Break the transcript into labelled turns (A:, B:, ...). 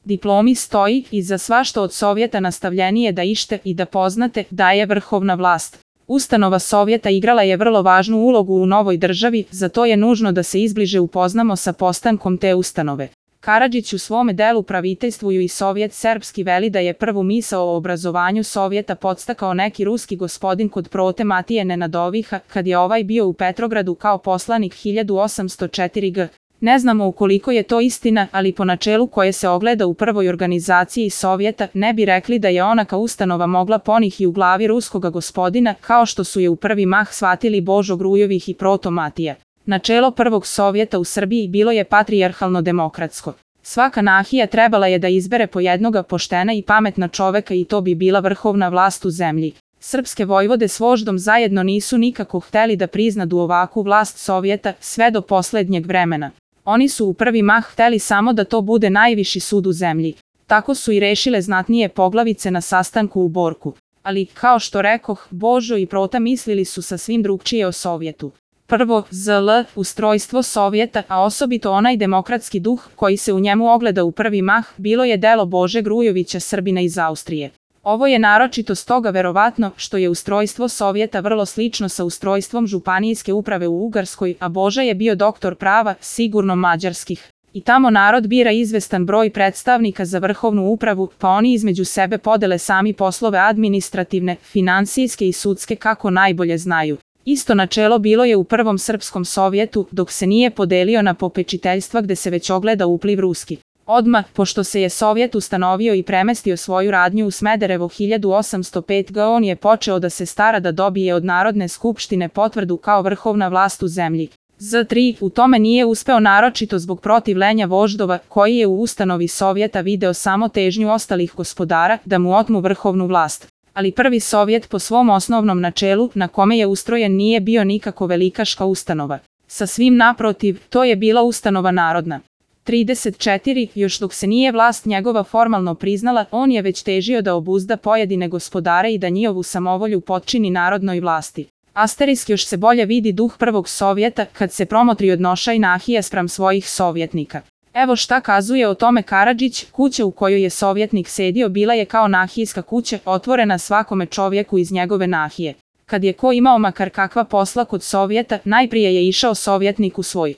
A: diplomi stoji i za svašta od Sovjeta nastavljenije da ište i da poznate da je vrhovna vlast. Ustanova Sovjeta igrala je vrlo važnu ulogu u novoj državi, zato je nužno da se izbliže upoznamo sa postankom te ustanove. Karadžić u svome delu Praviteljstvuju i Sovjet Srpski veli da je prvu misao o obrazovanju Sovjeta podstakao neki ruski gospodin kod Prote Matije Nenadoviha, kad je ovaj bio u Petrogradu kao poslanik 1804 g. Ne znamo ukoliko je to istina, ali po načelu koje se ogleda u prvoj organizaciji Sovjeta, ne bi rekli da je onaka ustanova mogla ponih i u glavi ruskoga gospodina, kao što su je u prvi mah shvatili Božo Grujovih i Proto Matija. Načelo prvog Sovjeta u Srbiji bilo je patrijarhalno-demokratsko. Svaka nahija trebala je da izbere po jednoga poštena i pametna čoveka i to bi bila vrhovna vlast u zemlji. Srpske vojvode s voždom zajedno nisu nikako hteli da priznadu ovakvu vlast Sovjeta sve do poslednjeg vremena. Oni su u prvi mah hteli samo da to bude najviši sud u zemlji. Tako su i rešile znatnije poglavice na sastanku u Borku. Ali, kao što rekoh, Božo i Prota mislili su sasvim drugčije o Sovjetu. Prvo, ZL, ustrojstvo Sovjeta, a osobito onaj demokratski duh koji se u njemu ogleda u prvi mah, bilo je delo Bože Grujovića, Srbina iz Austrije. Ovo je naročito stoga verovatno što je ustrojstvo Sovjeta vrlo slično sa ustrojstvom županijske uprave u Ugarskoj, a Boža je bio doktor prava, sigurno mađarskih. I tamo narod bira izvestan broj predstavnika za vrhovnu upravu, pa oni između sebe podele sami poslove administrativne, finansijske i sudske kako najbolje znaju. Isto načelo bilo je u prvom Srpskom Sovjetu, dok se nije podelio na popečiteljstva gde se već ogleda upliv ruski. Odmah, pošto se je Sovjet ustanovio i premestio svoju radnju u Smederevo 1805 g, on je počeo da se stara da dobije od Narodne skupštine potvrdu kao vrhovna vlast u zemlji. Z3 u tome nije uspeo naročito zbog protivljenja voždova, koji je u ustanovi Sovjeta video samo težnju ostalih gospodara da mu otmu vrhovnu vlast. Ali prvi Sovjet po svom osnovnom načelu, na kome je ustrojen, nije bio nikako velikaška ustanova. Sa svim naprotiv, to je bila ustanova narodna. 34. Još dok se nije vlast njegova formalno priznala, on je već težio da obuzda pojedine gospodare i da njihovu samovolju potčini narodnoj vlasti. Asterisk još se bolje vidi duh prvog Sovjeta kad se promotri odnošaj nahija spram svojih sovjetnika. Evo šta kazuje o tome Karadžić: kuća u kojoj je sovjetnik sedio bila je kao nahijska kuća, otvorena svakome čovjeku iz njegove nahije. Kad je ko imao makar kakva posla kod Sovjeta, najprije je išao sovjetnik u svoj